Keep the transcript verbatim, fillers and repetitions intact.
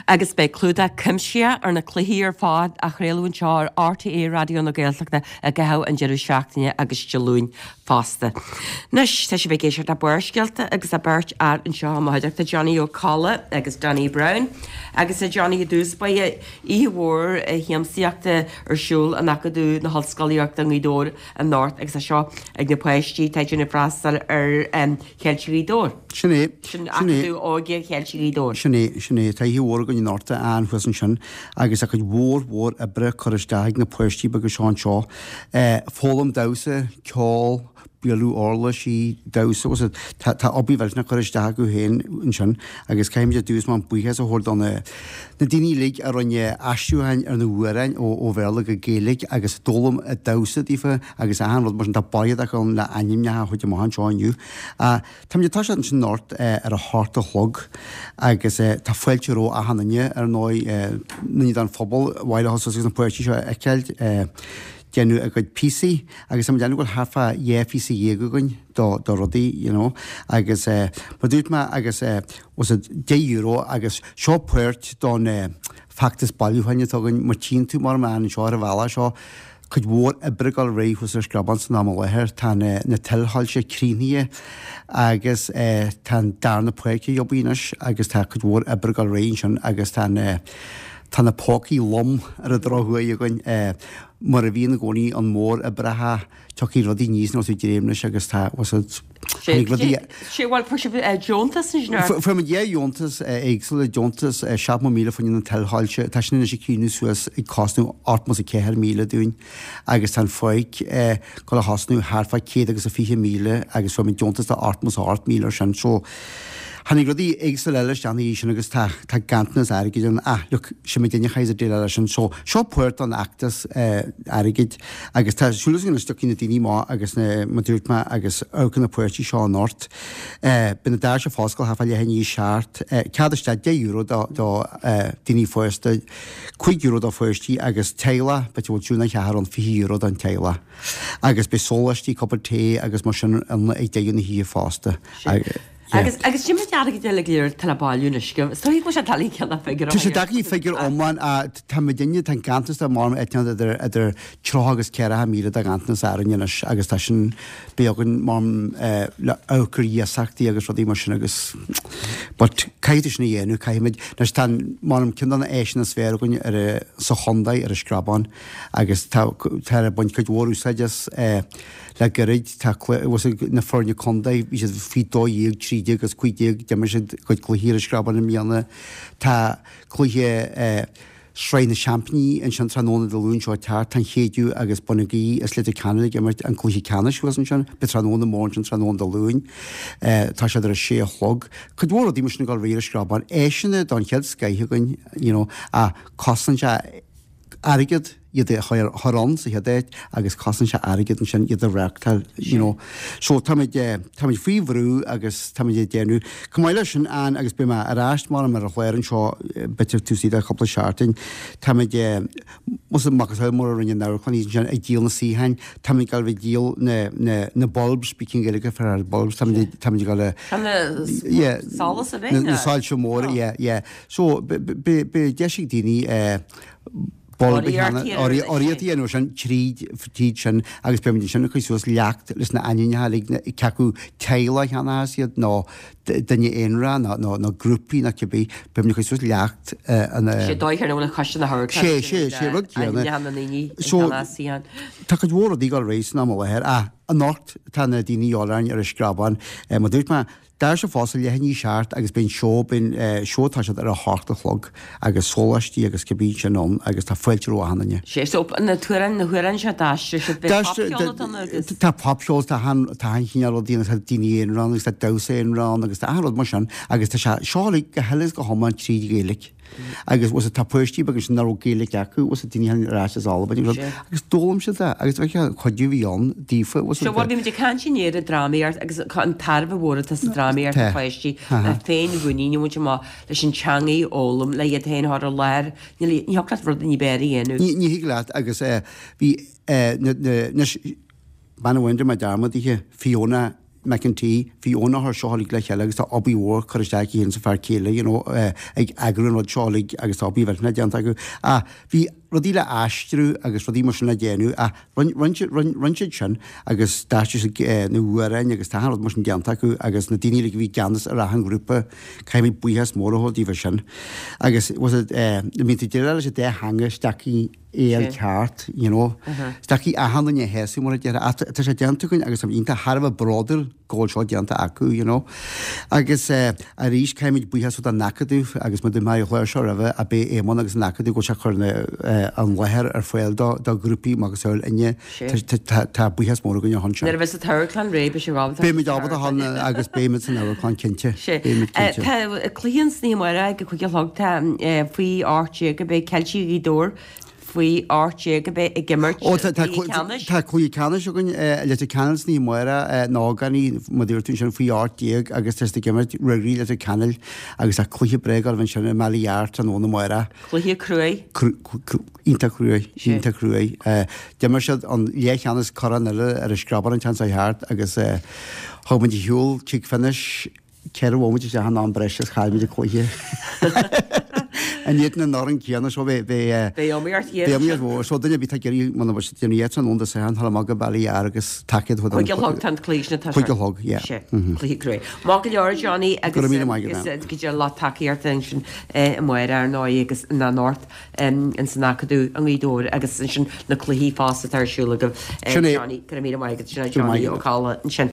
Agus beidh clúdach cuimsitheach ar na cluichí ar fad á chraoladh anseo ar RTÉ Raidió na Gaeltachta i gcaitheamh an deireadh seachtaine agus Dé Luain fosta. Anois tá sibh ag éisteacht le Barrscéalta agus tá beirt fhear anseo i mo chuideachta Johnny Ó Colla agus Danny Brown agus a Johnny i dtús báire oíche mhór shiamsaíochta ar siúl in Acadamh na hOllscolaíochta i nGaoth Dobhair anocht agus é seo ag na páistí atá ag déanamh freastal ar Cheiltigh Ghaoth Dobhair. Sin é. Sin Acadamh Óige Cheiltigh Ghaoth Dobhair. Sin é, sin é. Tá oíche mhór againn anocht ann thuas ansin agus tá cuid mhór mhór oibre curtha isteach ag na páistí beaga seo anseo. Foghlaim damhsa, ceol, bualadh uirlisí, damhsa, bhfuil fhios agat, tá obair mhillteanach curtha isteach acu féin ansin agus caithfimid ar dtús mar buíochas a thabhairt do na na daoine uilig a rinne aistriúcháin ar na hamhráin ó ó Bhéarla go Gaeilge agus d'fhoghlaim an damhsa daofa agus achan rud mar sin tá baile acu ann le ainmneacha a thabhairt amach anseo inniu. Táimid ag toiseacht ansin anocht ar a hocht a chlog agus tá fáilte roimh achan duine ar ndóigh, daoine den phobal, ar mhaith leo suas agus na páistí seo a fheiceáil déanamh a gcuid píosaí agus táimid ag déanamh go bhfuil thart fá dhá phíosa dhéag againn do do rudaí you know agus mar dúirt mé agus was it deich euro agus seo páirt don feachtas bailiúcháin atá againn mar tchíonn tú mar man anseo ar an bhealach seo cuid mhór oibre ag dul ar aghaidh thuas ar an Screabán san am i láthair. Tá na tuilshoilse críochnaithe agus tá an darna páirc ag obair anois agus tá cuid mhór oibre ag dul ar aghaidh ansin agus tá na tá na pócaí lom ar an drochuair againn. Mar a bhíonn i gcónaí an móroibreacha tiocfaidh rudaí aníos nuair atá tú ag dréim leis agus tá tháinig rudaí Sé bhuel fuair sibh deontas ansin ar Fuair muid dhá dheontas éagsúla, deontas seachtó míle fá choinne na tuilshoilse, tá sin anois ag críochnú suas ag cosnú ochtó is a ceathair míle dúinn agus tá an pháirc ag dul a thosnú thart fá céad agus a fiche míle agus fuair muid deontas de ochtó is a hocht míle ar sin so Tháinig rudaí éagsúla eile isteach ina dhiaidh sin agus tá tá ganntanas airgid ann. Ah, look, sin muidinne a chaithfeas ag déileáil leis sin. So, seo páirt den fheachtas airgid agus tá súil againn anois tiocfaidh na daoine amach agus na, mar dúirt mé, agus amharc ar na páistí seo anocht. Beidh na doirse ag foscailt thart fá leath i ndiaidh a seacht. Cead isteach deich euro do do daoine fásta, cúig euro do pháistí agus teaghlach, b'fhéidir go bhfuil triúr nó ceathrar ann, fiche euro don teaghlach. Agus beidh sóláistí, cupán tae agus mar sin ann ag deireadh na hoíche fosta. Agus agus sin muid airgead eile go léir atá le bailiú anois go is dóigh go bhfuil sé doiligh ceannach figiúr Tá sé deacair figiúr iomlán a tá muidinne tá an ganntanas de mar eitneán idir idir tríocha agus ceathracha míle de ghanntanas orainn anois agus tá sin beagán mar le amharc ar iasachtaí agus rudaí mar sin agus but caithfidh tú sin a dhéanamh caithfimid anois tá an mar ceann de na áiseanna is fearr againn ar a sa chontae ar an Screabán agus tá tá ag baint cuid mhór úsáid as Le gairid, tá na foirne contae, bhí siad faoi dó dhéag, trí déag agus cúig déag, d'imir siad a gcuid cluichí ar an Screabán i mbliana. Tá cluiche Sraith na Seaimpíní ansin tráthnóna Dé Luain seo ag teacht. Tá an Chéideadh agus Bun na Gaoithe is Leitir Ceanainn ag imirt an cluiche ceannais thuas ansin. Beidh tráthnóna mór ansin tráthnóna Dé Luain. Tá siad ar a sé a chlog. Cuid mhór rudaí mar sin ag dul ar aghaidh ar an Screabán. Áiseanna don chéad scoith againn, you know, ach cosnaíonn sé airgead iad a chur ann sa chéad áit agus cosnaíonn sé airgead ansin iad a reáchtáil you know. So táimid táimid faoi bhrú agus táimid ag déanamh. Chomh maith leis sin Ann agus beidh mé ar ais mar ar an chlár anseo b'fhéidir taobh istigh de chúpla seachtain táimid más macasamhail mar a rinne an amharclann ansin ag díol na suíocháin táimid ag dul ag díol na na na bulbs bí cén Ghaeilge ar ar bulbs táimid táimid ag dul a yeah solas a bheith na soilse móra yeah yeah so beidh deis ag daoine eh bulb a urraíocht a dhéanamh sin tríd tríd sin agus beimid ansin ag cur suas leacht leis na ainmneacha uilig cé acu teaghlach a cheannóchas iad nó duine aonarach nó nó nó grúpaí nó cibé beimid ag cur suas leacht an Sé dóigh ar bhfuil an choiste na hamharclann Sé sé sé rud céanna. ainmneacha na ndaoine a So cheannós iad. tá cuid mhór rudaí ag dul ar aghaidh san am i láthair ach anocht tá na daoine de dhíobháil orainn ar an Screabán mar dúirt mé Doirse ag foscailt leath i ndiaidh a seacht agus beidh an seó, beidh an seó ag toiseacht ar a hocht a chlog agus sóláistí agus cibé ansin ann agus tá fáilte roimh achan duine. Sé so na t-amhráin, na hamhráin seo d'aistrigh siad, beidh popcheol ann agus. Tá popcheol, tá achan, tá achan chineál rudaí ann, tá daoine aonair ann agus tá damhsa aonair ann agus tá achan rud mar sin agus tá sé seo uilig go huile is go hiomlán tríd Ghaeilge. Agus bhfuil tá páistí beaga ansin nach raibh Gaeilge acu, bhfuil daoine a tháinig ar ais as Albain agus rud, agus d'fhoghlaim siad é agus bheadh an cuidiú a bhí ann daofa, bhfuil So bhuel bhí muid ag caint inné ar an drámaíocht agus an tairbhe mhór atá sa drámaíocht do pháistí le féinmhuinín a bhaint amach leis an teanga a fhoghlaim, le iad féin a chur i láthair, ní thiocfadh leat rud ní b'fhearr a dhéanamh. Ní ní thig leat agus bhí na na anois bean amháin rinne mé dearmad dithe, Fiona, McEntee, bhí Eoin á chur seo uilig le chéile agus tá obair mhór curtha isteach aici féin is a fear céile, you know, ag eagrú an rud seo uilig agus tá obair mhillteanach déanta acu. Ach bhí rudaí le aistriú agus rudaí mar sin le déanamh ach rinne siad sin agus d'aistrigh siad na hamhráin agus tá achan rud mar sin déanta acu agus na daoine uilig a bhí i gceannas ar achan ghrúpa, caithfimid buíochas mór a thabhairt daofa sin. Agus was it, bíonn tú ag déileáil leis an dá theanga is deacair é a fháil ceart, you know. Is deacair achan duine a shásamh mar a déarfá ach tá sé déanta againn agus táimid iontach thar a bheith bródúil go bhfuil seo déanta acu, you know. Agus arís caithfimid buíochas don Acadamh agus mar a dúirt mé ar an chlár seo roimhe ab é Éamonn agus an Acadamh go bhfuil sé ag cur an láthair ar fáil do do ghrúpaí macasamhail inne. Tá buíochas mór againn ar shon sin. Nuair a bheas an t-amharclann réidh beidh sibh ábalta. Beimid ábalta a dhul agus beimid san amharclann cinnte. Beimid cinnte. Tá cluiche ansan oíche amárach ag a cúig a chlog tá faoi ocht déag a beidh Ceiltigh Ghaoth Dobhair faoi ocht déag a bheidh ag imirt Ó, tá, tá, cluiche ceannais. tá cluiche ceannais againn i Leitir Ceanainn san oíche amárach, na hógánaigh, mar a dúirt tú ansin, faoi ocht déag agus tá siad ag imirt Ruagairí Leitir Ceanainn agus tá cluiche breá ag gabháil ansin i mBaile Ghearr tráthnóna amárach. Cluiche cruaidh. Cru, cru, iontach cruaidh, iontach cruaidh. D'imir siad an leathcheannas corn eile ar an Screabán an tseachtain seo thart agus thug muid ar shiúl tigh finish Ceithre bhomaite isteach in am breise is chaill muid an cluiche. In éadan an fhoireann céanna so bheidh Beidh iomaíocht ghéar Beidh iomaíocht mhór. So duine ar bith atá ag iarraidh muna bhfuil siad déanamh iad san ionad Satharn thar amach go Baile Ghearr agus tacaíocht a thabhairt Cúig a chlog tá an cluiche sin atá Cúig a chlog, yeah. Sé, cluiche cruaidh. Maith go leor Johnny agus Go raibh míle maith agat, agus go dté lucht tacaíochta ansin amárach ar ndóigh agus na anocht in san Acadamh i nGaoth Dobhair agus ansin na cluichí fosta atá ar siúl agaibh Sin é. Johnny, go raibh míle maith agat. Sin é Go raibh maith Johnny agat. Ó Cadhla ansin.